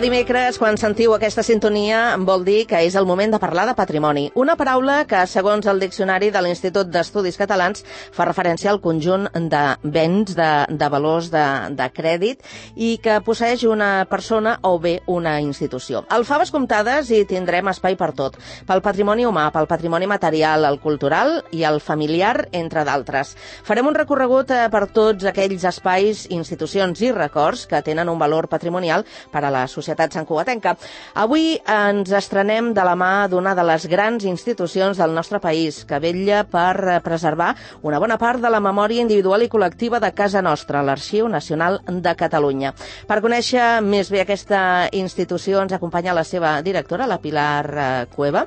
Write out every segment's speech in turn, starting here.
dimecres, quan sentiu aquesta sintonia, vol dir que és el moment de parlar de patrimoni. Una paraula que, segons el diccionari de l'Institut d'Estudis Catalans, fa referència al conjunt de béns, de valors de crèdit i que posseix una persona o bé una institució. Al Faves Comptades hi tindrem espai per tot. Pel patrimoni humà, pel patrimoni material, el cultural i el familiar, entre d'altres. Farem un recorregut per tots aquells espais, institucions i records que tenen un valor patrimonial per a la societat santcugatenca. Avui ens estrenem de la mà d'una de les grans institucions del nostre país, que vetlla per preservar una bona part de la memòria individual i col·lectiva de casa nostra, l'Arxiu Nacional de Catalunya. Per conèixer més bé aquesta institució ens acompanya la seva directora, la Pilar Cueva,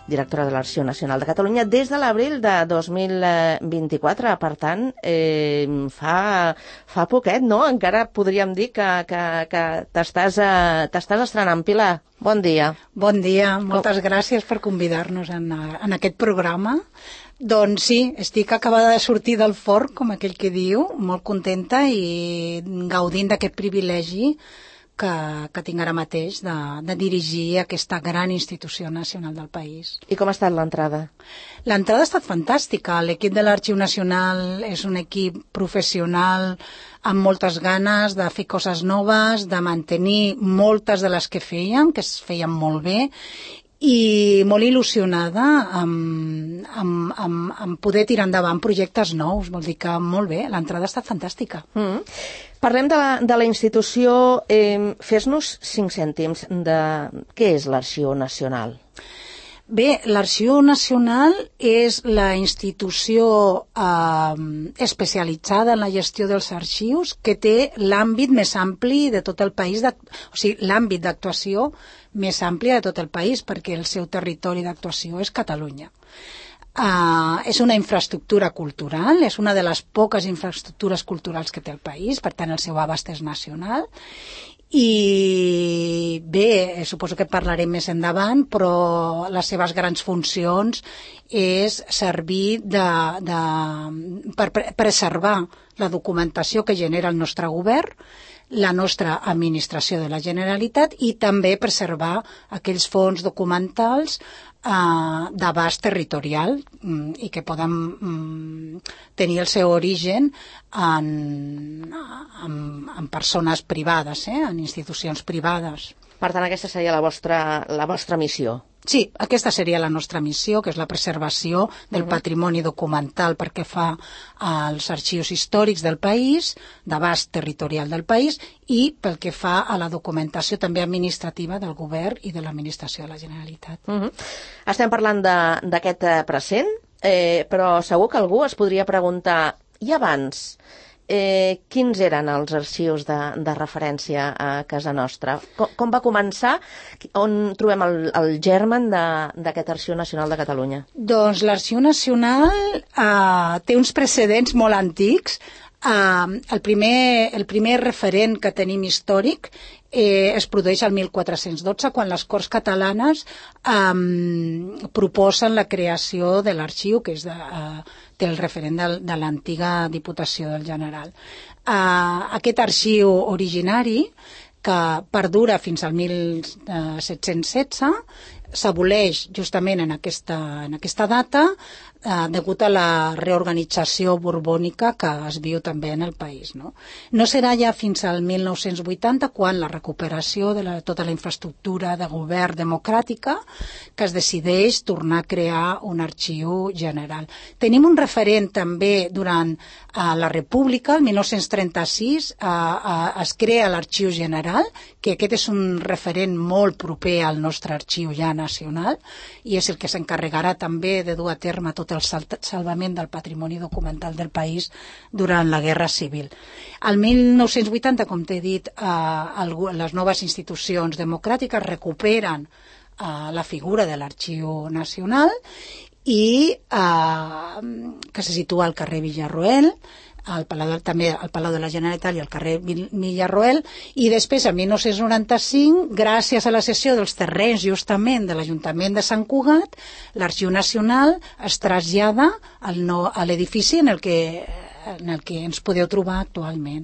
directora de l'Arxiu Nacional de Catalunya, des de l'abril de 2024. Per tant, fa poquet, no? Encara podríem dir que t'estàs estrenant. Pilar, bon dia. Bon dia, moltes gràcies per convidar-nos en aquest programa. Doncs sí, estic acabada de sortir del forn, com aquell que diu, molt contenta i gaudint d'aquest privilegi que tinc ara mateix de dirigir aquesta gran institució nacional del país. I com ha estat l'entrada? L'entrada ha estat fantàstica. L'equip de l'Arxiu Nacional és un equip professional amb moltes ganes de fer coses noves, de mantenir moltes de les que es feien molt bé, i molt il·lusionada amb poder tirar endavant projectes nous. Vol dir que molt bé, l'entrada ha estat fantàstica. Parlem de la institució. Fes-nos 5 cèntims de què és l'Arxiu Nacional. Bé, l'Arxiu Nacional és la institució especialitzada en la gestió dels arxius que té l'àmbit més ampli de tot el país, o sigui, l'àmbit d'actuació més ampli de tot el país, perquè el seu territori d'actuació és Catalunya. És una infraestructura cultural, és una de les poques infraestructures culturals que té el país, per tant el seu abast és nacional. I bé, suposo que parlarem més endavant, però les seves grans funcions és servir per preservar la documentació que genera el nostre govern, la nostra administració de la Generalitat, i també preservar aquells fons documentals d'abast territorial i que poden tenir el seu origen en persones privades, en institucions privades. Per tant, aquesta seria la vostra missió. Sí, aquesta seria la nostra missió, que és la preservació del patrimoni documental perquè fa als arxius històrics del país, d'abast territorial del país, i pel que fa a la documentació també administrativa del govern i de l'administració de la Generalitat. Estem parlant d'aquest present, però segur que algú es podria preguntar, i abans, quins eren els arxius de referència a casa nostra? Com va començar? On trobem el germen d'aquest Arxiu Nacional de Catalunya? Doncs l'Arxiu Nacional té uns precedents molt antics. El primer referent que tenim històric es produeix el 1412, quan les Corts Catalanes proposen la creació de l'arxiu, que té el referent de l'antiga Diputació del General. Aquest arxiu originari, que perdura fins al 1716, s'aboleix justament en aquesta data degut a la reorganització borbònica que es viu també en el país. No serà ja fins al 1980 quan la recuperació de tota la infraestructura de govern democràtica que es decideix tornar a crear un arxiu general. Tenim un referent també durant la República, el 1936 es crea l'Arxiu General, que aquest és un referent molt proper al nostre arxiu ja nacional i és el que s'encarregarà també de dur a terme tot el salvament del patrimoni documental del país durant la Guerra Civil. Al 1980, com t'he dit, les noves institucions democràtiques recuperen la figura de l'Arxiu Nacional i que se situa al carrer Villarroel, també al Palau de la Generalitat i al carrer Villarroel, i després, en 1995, gràcies a la cessió dels terrenys justament de l'Ajuntament de Sant Cugat, l'Arxiu Nacional es trasllada a l'edifici en el que ens podeu trobar actualment.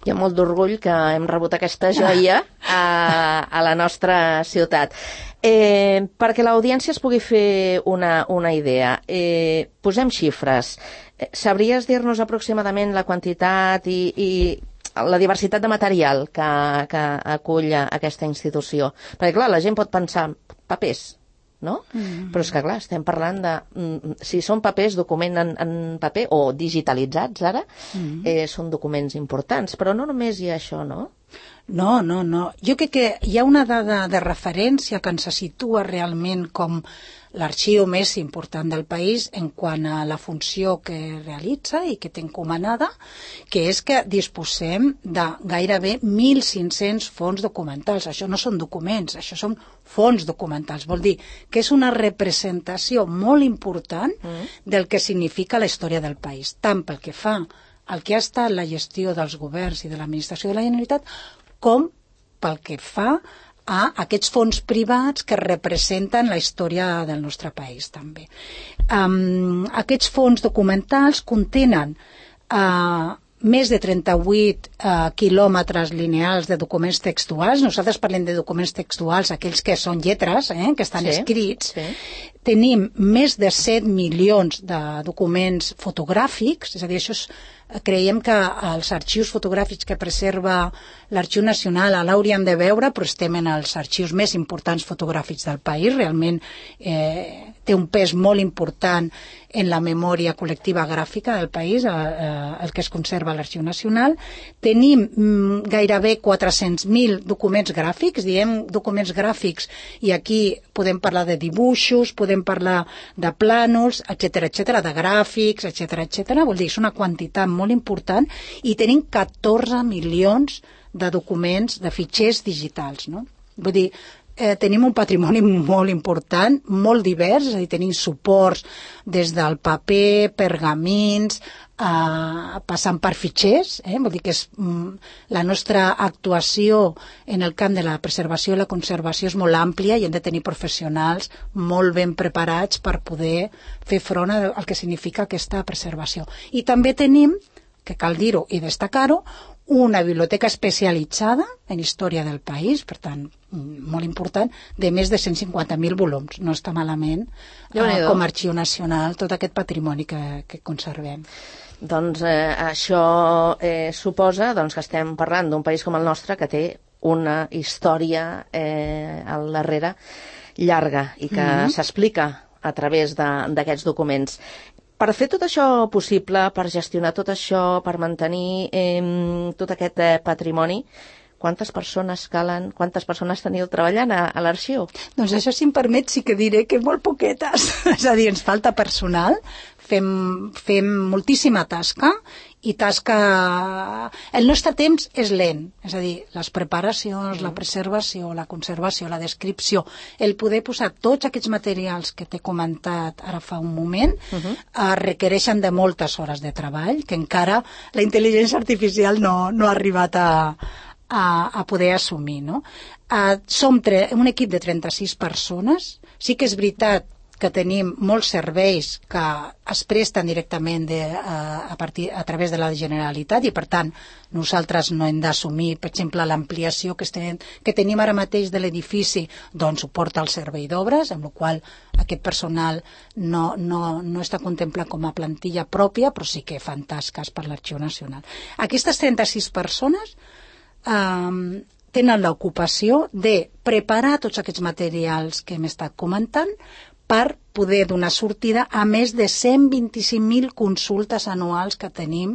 Hi ha molt d'orgull que hem rebut aquesta joia a la nostra ciutat. Perquè l'audiència es pugui fer una idea, posem xifres. Sabries dir-nos aproximadament la quantitat i la diversitat de material que acull aquesta institució? Perquè, clar, la gent pot pensar papers, no? Però és que, clar, estem parlant de... si són papers, document en paper, o digitalitzats ara, són documents importants. Però no només hi ha això, no? No. Jo crec que hi ha una dada de referència que ens situa realment com l'arxiu més important del país en quant a la funció que realitza i que té encomanada, que és que disposem de gairebé 1.500 fons documentals. Això no són documents, això són fons documentals. Vol dir que és una representació molt important del que significa la història del país, tant pel que fa al que ha estat la gestió dels governs i de l'administració de la Generalitat, com pel que fa a aquests fons privats que representen la història del nostre país, també. Aquests fons documentals contenen més de 38 quilòmetres lineals de documents textuals. Nosaltres parlem de documents textuals, aquells que són lletres, que estan escrits. Tenim més de 7 milions de documents fotogràfics, és a dir, creiem que els arxius fotogràfics que preserva l'Arxiu Nacional l'hauríem de veure, però estem en els arxius més importants fotogràfics del país. Realment té un pes molt important en la memòria col·lectiva gràfica del país, el que es conserva a l'Arxiu Nacional. Tenim gairebé 400.000 documents gràfics, diem documents gràfics, i aquí podem parlar de dibuixos, podem parlar de plànols, etcètera, de gràfics, etcètera. Vol dir, és una quantitat molt important, i tenim 14 milions de documents, de fitxers digitals, no? Vull dir, tenim un patrimoni molt important, molt divers, és a dir, tenim suports des del paper, pergamins, passant per fitxers, vol dir que la nostra actuació en el camp de la preservació i la conservació és molt àmplia, i hem de tenir professionals molt ben preparats per poder fer front al que significa aquesta preservació. I també tenim, que cal dir-ho i destacar-ho, una biblioteca especialitzada en història del país, per tant, molt important, de més de 150.000 volums. No està malament com a Arxiu Nacional tot aquest patrimoni que conservem. Doncs això suposa que estem parlant d'un país com el nostre que té una història al darrere llarga i que s'explica a través d'aquests documents. Per fer tot això possible, per gestionar tot això, per mantenir tot aquest patrimoni, quantes persones calen, quantes persones teniu treballant a l'arxiu? Doncs això, si em permet, sí que diré que molt poquetes. És a dir, ens falta personal, fem moltíssima tasca, i el nostre temps és lent, és a dir, les preparacions, la preservació, la conservació, la descripció, el poder posar tots aquests materials que t'he comentat ara fa un moment, requereixen de moltes hores de treball, que encara la intel·ligència artificial no ha arribat a poder assumir, no? Som un equip de 36 persones. Sí que és veritat que tenim molts serveis que es presten directament a través de la Generalitat, i per tant nosaltres no hem d'assumir, per exemple, l'ampliació que tenim ara mateix de l'edifici, doncs suporta el servei d'obres, amb la qual aquest personal no està contemplat com a plantilla pròpia, però sí que fan tasques per l'Arxiu Nacional. Aquestes 36 persones tenen l'ocupació de preparar tots aquests materials que hem estat comentant per poder donar sortida a més de 125.000 consultes anuals que tenim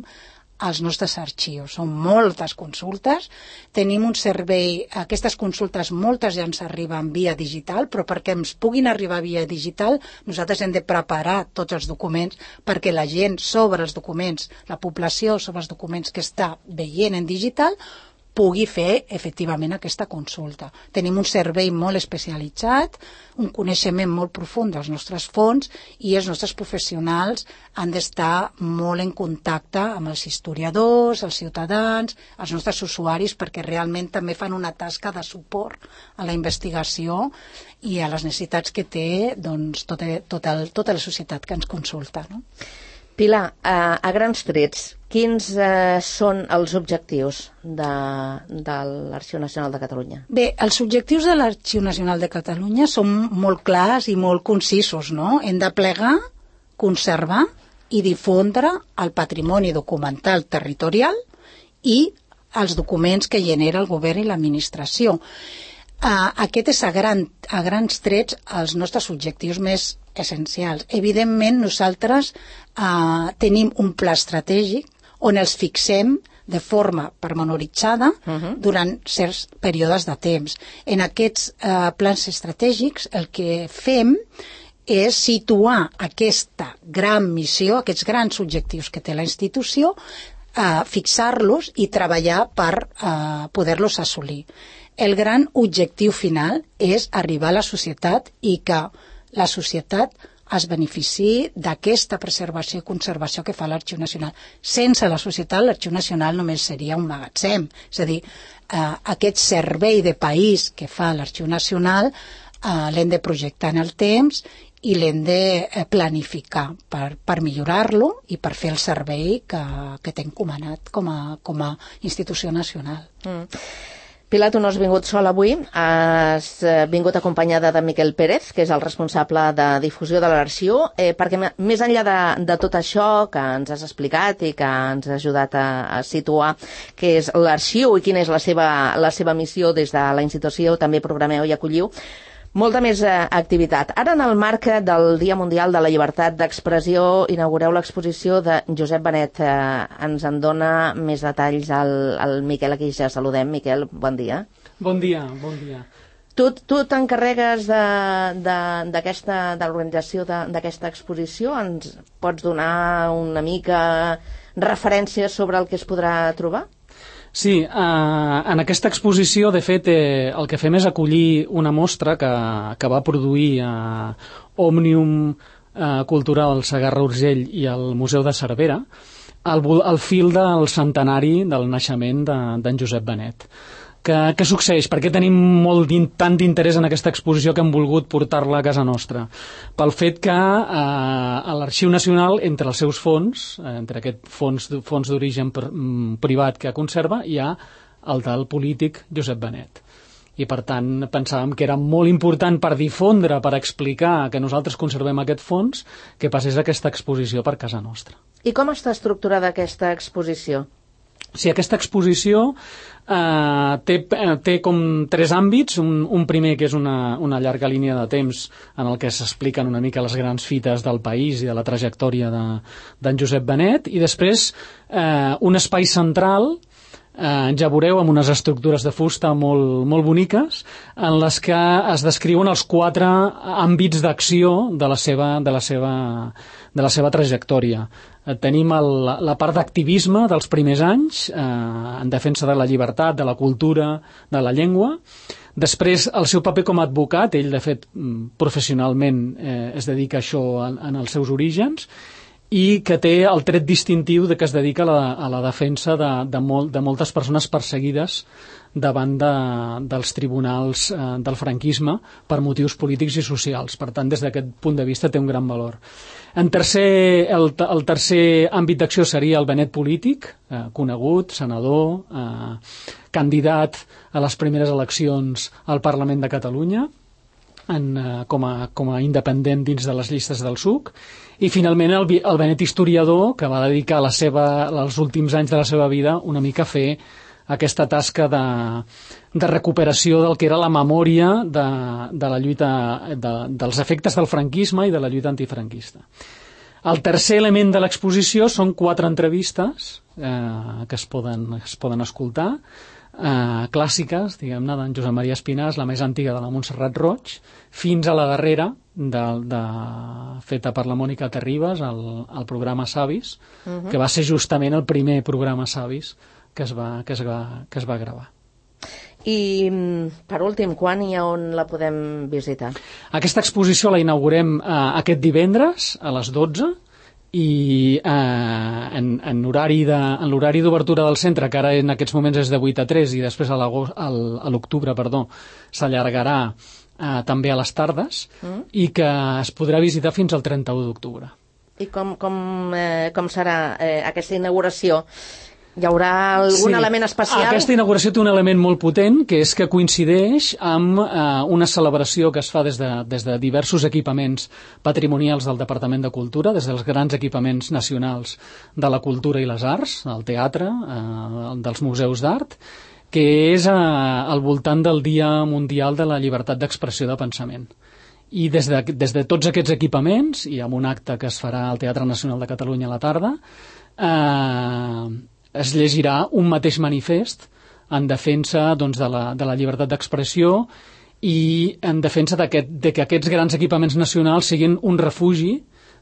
als nostres arxius. Són moltes consultes, tenim un servei, aquestes consultes moltes ja ens arriben via digital, però perquè ens puguin arribar via digital nosaltres hem de preparar tots els documents perquè la gent sobre els documents, la població sobre els documents que està veient en digital, pugui fer efectivament aquesta consulta. Tenim un servei molt especialitzat, un coneixement molt profund dels nostres fons, i els nostres professionals han d'estar molt en contacte amb els historiadors, els ciutadans, els nostres usuaris, perquè realment també fan una tasca de suport a la investigació i a les necessitats que té tota la societat que ens consulta, no? Pilar, a grans trets, quins són els objectius de l'Arxiu Nacional de Catalunya? Bé, els objectius de l'Arxiu Nacional de Catalunya són molt clars i molt concisos, no? Hem de plegar, conservar i difondre el patrimoni documental territorial i els documents que genera el govern i l'administració. Aquest és a grans trets els nostres objectius més essencials. Evidentment, nosaltres tenim un pla estratègic on els fixem de forma pormenoritzada durant certs períodes de temps. En aquests plans estratègics el que fem és situar aquesta gran missió, aquests grans objectius que té la institució, fixar-los i treballar per poder-los assolir. El gran objectiu final és arribar a la societat i que la societat es beneficiï d'aquesta preservació i conservació que fa l'Arxiu Nacional. Sense la societat, l'Arxiu Nacional només seria un magatzem. És a dir, aquest servei de país que fa l'Arxiu Nacional l'hem de projectar en el temps i l'hem de planificar per millorar-lo i per fer el servei que té encomanat com a institució nacional. Pilar, tu no has vingut sola avui, has vingut acompanyada de Miquel Pérez, que és el responsable de difusió de l'arxiu, perquè més enllà de tot això que ens has explicat i que ens has ajudat a situar què és l'arxiu i quina és la seva missió des de la institució, també programeu i acolliu molta més activitat. Ara, en el marc del Dia Mundial de la Llibertat d'Expressió, inaugureu l'exposició de Josep Benet. Ens en dona més detalls al Miquel, aquí ja saludem. Miquel, bon dia. Bon dia, bon dia. Tu t'encarregues de l'organització d'aquesta exposició? Ens pots donar una mica referències sobre el que es podrà trobar? Sí, en aquesta exposició, de fet, el que fem és acollir una mostra que va produir Òmnium Cultural Segarra-Urgell i el Museu de Cervera al fil del centenari del naixement d'en Josep Benet. Què succeeix? Per què tenim tant d'interès en aquesta exposició que hem volgut portar-la a casa nostra? Pel fet que a l'Arxiu Nacional, entre els seus fons, entre aquest fons d'origen privat que conserva, hi ha el del polític Josep Benet. I, per tant, pensàvem que era molt important per difondre, per explicar que nosaltres conservem aquest fons, que passés aquesta exposició per casa nostra. I com està estructurada aquesta exposició? Sí, aquesta exposició té com tres àmbits. Un primer que és una llarga línia de temps en el que s'expliquen una mica les grans fites del país i de la trajectòria d'en Josep Benet, i després un espai central, ja veureu, amb unes estructures de fusta molt boniques, en les que es descriuen els 4 àmbits d'acció de la seva trajectòria. Tenim la part d'activisme dels primers anys, en defensa de la llibertat, de la cultura, de la llengua. Després, el seu paper com a advocat, ell, de fet, professionalment es dedica a això en els seus orígens, i que té el tret distintiu de que es dedica a la defensa de moltes persones perseguides davant dels tribunals del franquisme per motius polítics i socials. Per tant, des d'aquest punt de vista té un gran valor. El tercer àmbit d'acció seria el Benet polític, conegut, senador, candidat a les primeres eleccions al Parlament de Catalunya, com a independent dins de les llistes del PSUC, i finalment el Benet historiador, que va dedicar els últims anys de la seva vida una mica a fer aquesta tasca de recuperació del que era la memòria de la lluita, dels efectes del franquisme i de la lluita antifranquista. El tercer element de l'exposició són 4 entrevistes que es poden escoltar, clàssiques, diguem-ne, d'en Josep Maria Espinàs, la més antiga de la Montserrat Roig, fins a la darrera, feta per la Mònica Terribas, el programa Savis, que va ser justament el primer programa Savis que es va gravar. I, per últim, quan i on la podem visitar? Aquesta exposició la inaugurem aquest divendres a les 12, i en l'horari d'obertura del centre, que ara en aquests moments és de 8 a 3 i després a l'octubre s'allargarà també a les tardes, i que es podrà visitar fins al 31 d'octubre. I com serà aquesta inauguració? Hi haurà algun element especial? Aquesta inauguració té un element molt potent, que és que coincideix amb una celebració que es fa des de diversos equipaments patrimonials del Departament de Cultura, des dels grans equipaments nacionals de la cultura i les arts, el teatre, dels museus d'art, que és al voltant del Dia Mundial de la Llibertat d'Expressió de Pensament. I des de tots aquests equipaments, i amb un acte que es farà al Teatre Nacional de Catalunya a la tarda, es llegirà un mateix manifest en defensa doncs, de la llibertat d'expressió i en defensa de que aquests grans equipaments nacionals siguin un refugi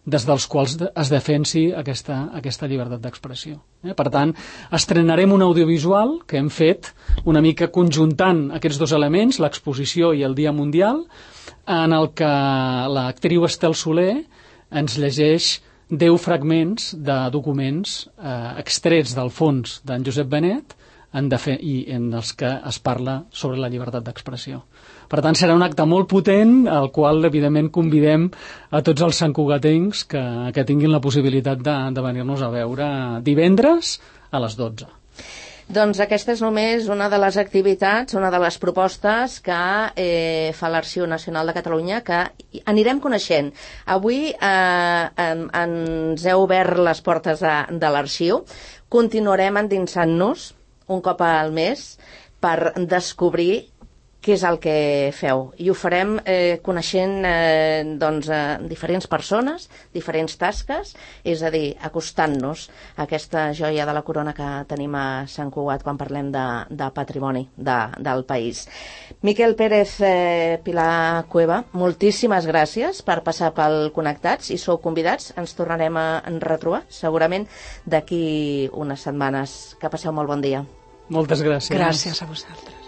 des dels quals es defensi aquesta llibertat d'expressió. Per tant, estrenarem un audiovisual que hem fet una mica conjuntant aquests dos elements, l'exposició i el Dia Mundial, en el que l'actriu Estel Soler ens llegeix 10 fragments de documents extrets del fons d'en Josep Benet i en els que es parla sobre la llibertat d'expressió. Per tant, serà un acte molt potent, al qual, evidentment, convidem a tots els santcugatencs que tinguin la possibilitat de venir-nos a veure divendres a les 12. Doncs aquesta és només una de les activitats, una de les propostes que fa l'Arxiu Nacional de Catalunya, que anirem coneixent. Avui ens heu obert les portes de l'arxiu. Continuarem endinsant-nos un cop al mes per descobrir què és el que feu. I ho farem coneixent diferents persones, diferents tasques, és a dir, acostant-nos a aquesta joia de la corona que tenim a Sant Cugat quan parlem de patrimoni del país. Miquel Pérez, Pilar Cueva, moltíssimes gràcies per passar pel Connectats, i sou convidats, ens tornarem a retrobar segurament d'aquí unes setmanes. Que passeu molt bon dia. Moltes gràcies. Gràcies a vosaltres.